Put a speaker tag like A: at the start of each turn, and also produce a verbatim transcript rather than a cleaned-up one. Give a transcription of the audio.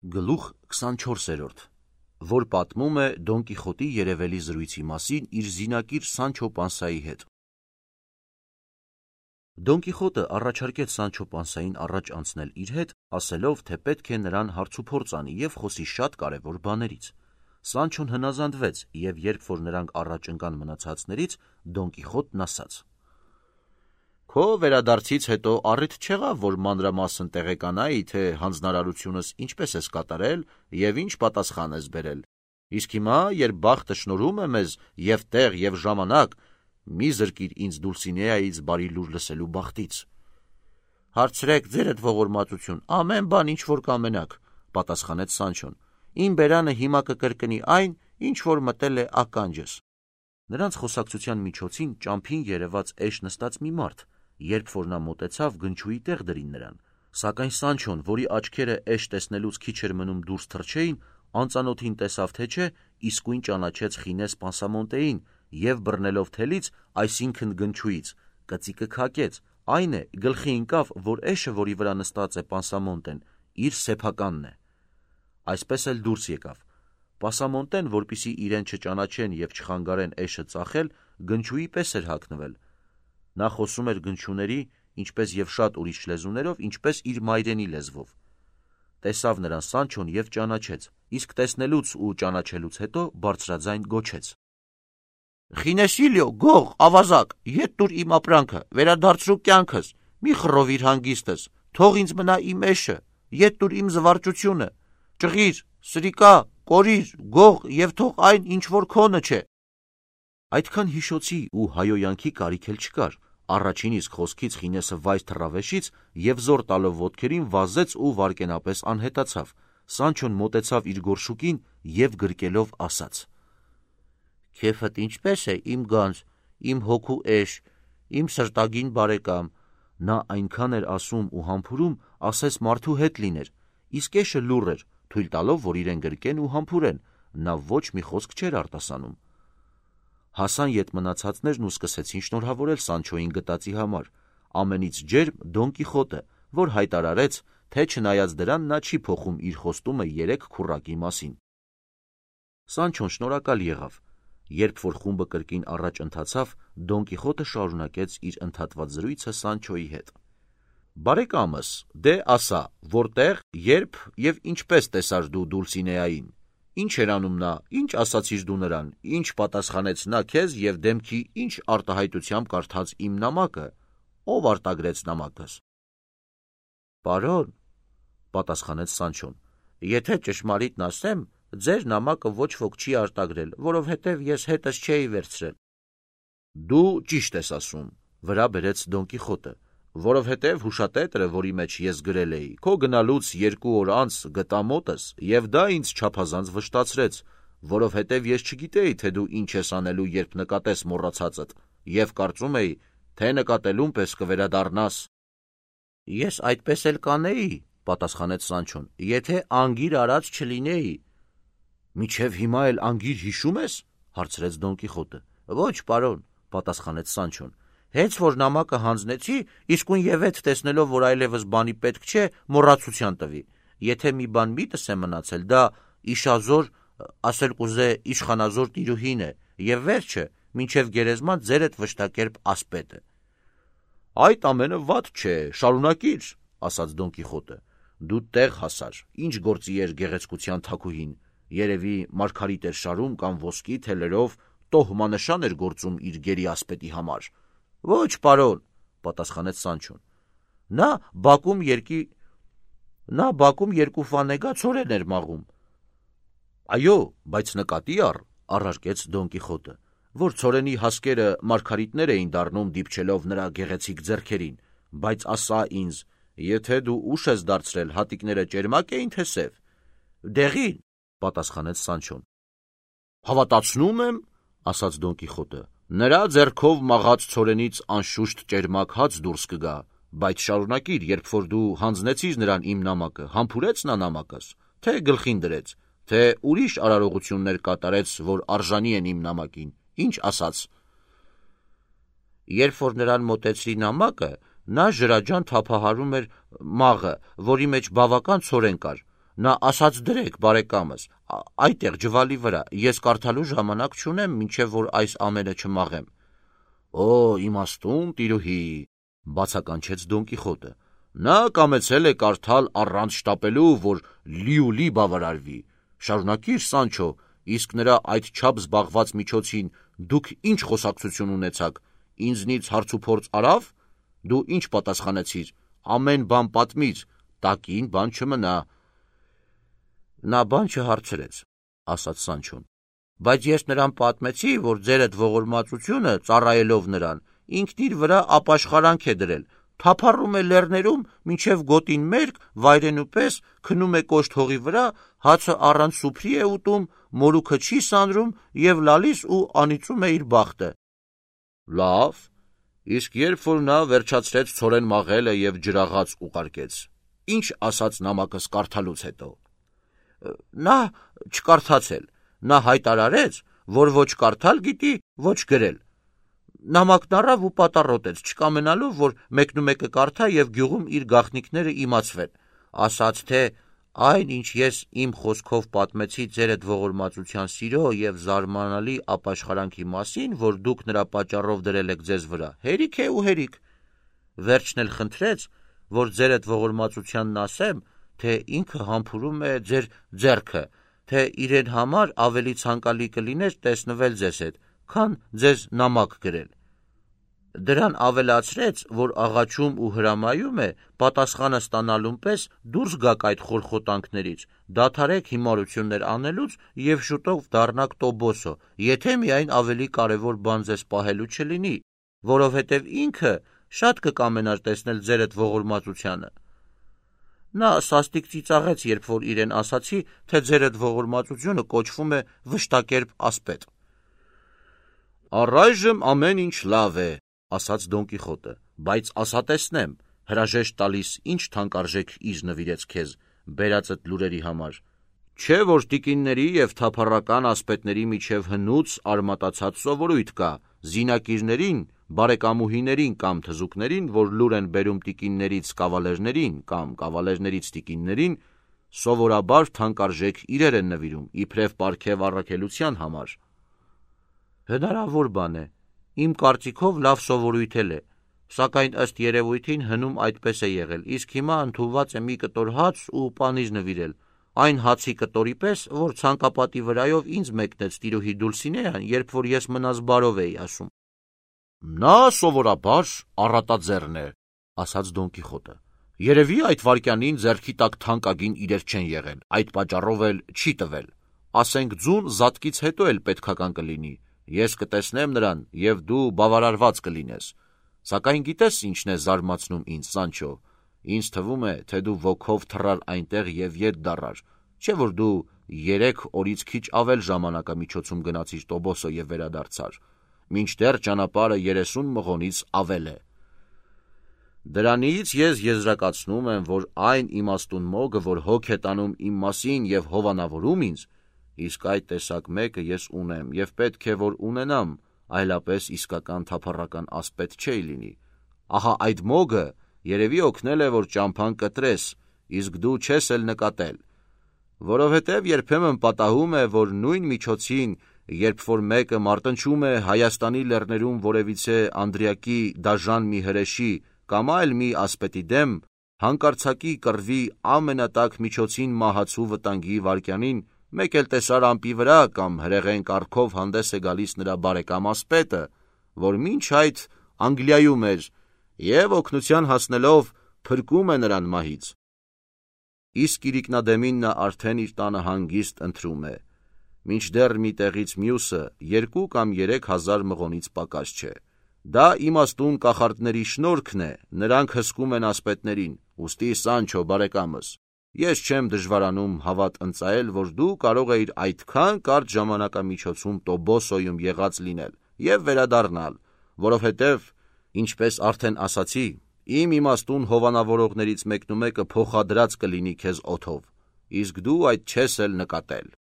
A: Գլուխ քսանչորսերորդ, որ պատմում է Դոն Կիխոտի երևելի զրույցի մասին իր զինակիր Սանչո Պանսայի հետ։ Դոն Կիխոտը առաջարկեց Սանչո Պանսային առաջ անցնել իր հետ, ասելով, թե պետք է նրան հարցուփորձ անի և խոսի շատ կարևոր բաներից։ Սանչոն հնազանդվեց, և երբ որ նրանք առաջ ընկան մնացածներից, Դոն Կիխոտն ասաց. Քո վերադարձից հետո առիթ չեղավ, որ մանրամասն տեղեկանայի, թե հանձնարարությունս ինչպես ես կատարել և ինչ պատասխան ես բերել։ Իսկ հիմա, երբ բախտը շնորհում է մեզ և տեղ և ժամանակ, մի զրկիր ինձ Դուլսինեայից բարի լուր լսելու բախտից։ Հարցրեք ձերդ ողորմածություն, ամեն բան ինչ որ կամենաք, պատասխանեց Սանչոն։ Իմ բերանը հիմա կկրկնի այն, ինչ որ մտել է ականջս։ Նրանց խոսակցության միջոցին ճամփին երևաց էշ նստած մի մարդ, երբ որ նա մոտեցավ, գնչուի տեղ դրին նրան, սակայն Սանչոն, որի աչքերը էշ տեսնելուց քիչ էր մնում դուրս թռչեին, անծանոթին տեսավ թե չէ, իսկույն ճանաչեց Խինես Պանսամոնտեին և բռնելով թելից, այսինքն գնչուից, կծիկը քակեց, այն է, գլխի ընկավ, որ էշը, որի վրա նստած է Պանսամոնտեն, իր սեփականն է։ Այսպես էլ դուրս եկավ։ Պասամոնտեն, որպեսզի իրեն չճանաչեն և չխանգարեն էշը ծախել, գնչուի պես էր հագնվել։ Նա խոսում էր գնչուների, ինչպես և շատ ուրիշ լեզուներով, ինչպես իր մայրենի լեզվով։ Տեսավ նրան Սանչոն և ճանաչեց, իսկ տեսնելուց ու ճանաչելուց հետո բարձրաձայն գոչեց. Խինեսիլիո, գող, ավազակ, ետ տուր իմ ապրանքը, վերադարձրու կյանքս, մի խռովիր հանգիստս, թող ինձ մնա իմ էշը, ետ տուր իմ զվարճությունը, ճղիր, սրիկա, կորիր, գող և թող այն, ինչ որ քոնը չէ։ Այդքան հիշոցի ու հայոյանքի կարիք էլ չկար։ Առաջին իսկ խոսքից Խինեսը վայր թռավ էշից և զոր տալով ոտքերին վազեց ու վայրկենապես անհետացավ։ Սանչոն մոտեցավ իր գորշուկին և գրկելով ասաց. Քեֆդ ինչպե՞ս է, իմ գանձ, իմ հոգու էշ, իմ սրտագին բարեկամ։ Նա այնքան էր ասում ու համբուրում, ասես մարդու հետ լիներ, իսկ էշը լուռ էր, թույլ տալով, որ իրեն գրկեն ու համբուրեն, նա ոչ մի խոսք չէր արտասանում։ Հասան ետ մնացածներն ու սկսեցին շնորհավորել Սանչոյին գտածի համար, ամենից ջերմ Դոն Կիխոտը, որ հայտարարեց, թե չնայած դրան նա չի փոխում իր խոստումը երեք քուռակի մասին։ Սանչոն շնորհակալ եղավ։ Երբ որ խումբը կրկին առաջ ընթացավ, Դոն Կիխոտը շարունակեց իր ընդհատված զրույցը Սանչոյի հետ. Բարեկամս, դե ասա, որտեղ, երբ և ինչպես տեսար դու Դուլսինեային, ինչ էր անում նա, ինչ ասացիր դու նրան, ինչ պատասխանեց նա քեզ և դեմքի ինչ արտահայտությամբ կարդաց իմ նամակը, ով արտագրեց նամակս։ Պարոն, պատասխանեց Սանչոն, եթե ճշմարիտն ասեմ, ձեր նամակը ոչ ոք չի արտագրել, որովհետև ես հետս չէի վերցրել։ Դու ճիշտ ես ասում, վրա բերեց Դոն Կիխոտը, որովհետև հուշատետրը, որի մեջ ես գրել էի, քո գնալուց երկու օր անց գտա մոտս, և դա ինձ չափազանց վշտացրեց, որովհետև ես չգիտեի, թե դու ինչ ես անելու, երբ նկատես մոռացածդ, և կարծում էի, թե նկատելուն պես կվերադառնաս։ Ես այդպես էլ կանեի, պատասխանեց Սանչոն, եթե անգիր արած չլինեի։ Մինչև հիմա էլ անգիր հիշում ես, հարցրեց Դոն Կիխոտը։ Ոչ, պարոն, պատասխանեց Սանչոն, հենց որ նամակը հանձնեցի, իսկույն և ետ տեսնելով, որ այլևս բանի պետք չէ, մոռացության տվի։ Եթե մի բան միտս է մնացել, դա իշազոր, ասել կուզե իշխանազոր տիրուհին է, և վերջը, մինչև գերեզման ձերդ վշտակերպ ասպետը։ Այդ ամենը վատ չէ, շարունակիր, ասաց Դոն Կիխոտը։ Դու տեղ հասար, ինչ գործի էր գեղեցկության թագուհին, երևի մարգարիտ էր շարում կամ ոսկի թելերով տոհմանշան էր գործում իր գերի ասպետի համար։ Ոչ, պարոն, պատասխանեց Սանչոն։ Նա բակում երկի Նա բակում երկու ֆանեգա ցորեն էր մաղում։ Այո, բայց նկատի առ, առարկեց Դոն Կիխոտը, որ ցորենի հասկերը մարգարիտներ էին դառնում դիպչելով նրա գեղեցիկ ձեռքերին, բայց ասա ինձ, եթե դու ուշ ես դարձրել, հատիկները ճերմակ էին թե սև։ Դեղին, պատասխանեց Սանչոն։ Հավատացնում եմ, ասաց Դոն Կիխոտը, նրա ձեռքով մաղած ցորենից անշուշտ ճերմակ հաց դուրս կգա, բայց շարունակիր, երբ որ դու հանձնեցիր նրան իմ նամակը, համբուրեց նա նամակս, թե գլխին դրեց, թե ուրիշ արարողություններ կատարեց, որ արժանի են իմ նամակին, ինչ ասաց։ Երբ որ նրան մոտեցրի նամակը, նա ջրաջան թափահարում էր մաղը, որի մեջ բավական ցորեն կար, Նա ասաց դրեք, բարեկամս, այդտեղ ջվալի վրա, ես կարդալու ժամանակ չունեմ, մինչև որ այս ամենը չմաղեմ։ Օ, իմաստուն տիրուհի, բացականչեց Դոն Կիխոտը, նա կամեցել է կարդալ առանց շտապելու, որ լիուլի բավարարվի։ Շարունակիր, Սանչո, իսկ նրա այդ չափ զբաղված միջոցին դուք ինչ խոսակցություն ունեցաք, ինձնից հարցուփորձ արավ, դու ինչ պատասխանեցիր, ամեն բան պատմիր, տակին բան չմնա։ Նա բան չհարցրեց, ասաց Սանչոն, բայց ես նրան պատմեցի, որ ձեր այդ ողորմածությունը, ծառայելով նրան, ինքն իր վրա ապաշխարանք է դրել, թափառում է լեռներում, մինչև գոտին մերկ, վայրենու պես, քնում է կոշտ հողի վրա, հացը առանց սուփրի է ուտում, մորուքը չի սանրում և լալիս ու անիծում է իր բախտը։ Լավ, իսկ երբ որ նա վերջացրեց ցորեն մաղելը և ջրաղաց ուղարկեց, ինչ ասաց նամակս կարդալուց հետո։ Նա չկարդացել, նա հայտարարեց, որ ոչ կարդալ գիտի, ոչ գրել։ Նամակն առավ ու պատառոտեց, չկամենալով, որ մեկնումեկը կարդա և գյուղում իր գաղտնիքները իմացվեն, ասաց, թե այն, ինչ ես իմ խոսքով պատմեցի ձեր այդ ողորմածության սիրո և զարմանալի ապաշխարանքի մասին, որ դուք նրա պատճառով դրել եք ձեզ վրա, հերիք է ու հերիք։ Վերջն էլ խնդրեց, որ ձեր այդ ողորմածությանն ասեմ, թե ինքը համբուրում է ձեր ձեռքը, թե իրեն համար ավելի ցանկալի կլիներ տեսնվել ձեզ հետ, քան ձեզ նամակ գրել։ Դրան ավելացրեց, որ աղաչում ու հրամայում է պատասխանը ստանալուն պես դուրս գաք այդ խորխոտանքներից, դադարեք հիմարություններ անելուց և շուտով դառնաք Տոբոսո, եթե միայն ավելի կարևոր բան ձեզ պահելու չլինի, որովհետև ինքը շատ կկամենար տեսնել ձեր այդ ողորմածությանը։ Նա սաստիկ ծիծաղեց, երբ որ իրեն ասացի, թե ձեր այդ ողորմածությունը կոչվում է վշտակերպ ասպետ։ Առայժմ ամեն ինչ լավ է, ասաց Դոն Կիխոտը, բայց ասա տեսնեմ, հրաժեշտ տալիս ինչ թանկարժեք իր նվիրեց քեզ, բերածդ լուրերի համար, չէ որ տիկինների և թափառական ասպետների միջև հնուց արմատացած սովորույթ կա, զինակիրներին, բարեկամուհիներին կամ թզուկներին, որ լուր են բերում տիկիններից կավալերներին կամ կավալերներից տիկիններին, սովորաբար թանկարժեք իրեր են նվիրում, իբրև պարգև առաքելության համար։ Հնարավոր բան է, իմ կարծիքով լավ սովորույթ էլ է, սակայն ըստ երևույթին հնում այդպես է եղել, իսկ հիմա ընդունված է մի կտոր հաց ու պանիր նվիրել, այն հացի կտորի պես, որ ցանկապատի վրայով ինձ մեկնեց տիրուհի Դուլսինեան, երբ որ ես մնաս բարով էի ասում։ Նա սովորաբար առատաձեռն է, ասաց Դոն Կիխոտը, երևի այդ վայրկյանին ձեռքի տակ թանկագին իրեր չեն եղել, այդ պատճառով էլ չի տվել, ասենք ձուն զատկից հետո էլ պետքական կլինի, ես կտեսնեմ նրան և դու բավարարված կլինես, սակայն գիտես ինչն է զարմացնում ինձ, Սանչո, ինձ թվում է, թե դու ոգով թռար այնտեղ և ետ դառար, չէ որ դու երեք օրից քիչ ավել ժամանակամիջոցում գնացիր Տոբոսո և վերադարձար, մինչդեռ ճանապարհը երեսուն մղոնից ավել է։ Դրանից ես եզրակացնում եմ, որ այն իմաստուն մոգը, որ հոգ է տանում իմ մասին և հովանավորում ինձ, իսկ այդ տեսակ մեկը ես ունեմ և պետք է, որ ունենամ, այլապես իսկական թափառական ասպետ չէի լինի։ Ահա այդ մոգը երևի օգնել է, որ ճամփան կտրես, իսկ դու չես էլ նկատել, որովհետև երբեմն պատահում է, որ նույն միջոցին, երբ որ մեկը մարտնչում է Հայաստանի լեռներում որևիցե անդրիակի դաժան մի հրեշի կամ այլ մի ասպետի դեմ, հանկարծակի կռվի ամենատաք միջոցին մահացու վտանգի վայրկյանին, մեկ էլ տեսար ամպի վրա կամ հրեղեն կառքով հանդես է գալիս նրա բարեկամ ասպետը, որ մինչ այդ Անգլիայում էր և օգնության հասնելով փրկում է նրան մահից։ Իսկ իրիկնադեմին նա արդեն իր տանը հանգիստ ընթրում է, մինչդեռ մի տեղից մյուսը երկու կամ երեք հազար մղոնից պակաս չէ։ Դա իմաստուն կախարդների շնորհքն է, նրանք հսկում են ասպետներին, ուստի Սանչո բարեկամս, ես չեմ դժվարանում հավատ ընծայել, որ դու կարող էիր այդքան կարճ ժամանակամիջոցում Տոբոսոյում եղած լինել և վերադառնալ, որովհետև, ինչպես արդեն ասացի, իմ իմաստուն հովանավորողներից մեկնումեկը փոխադրած կլինի քեզ օդով, իսկ դու այդ չես էլ նկատել։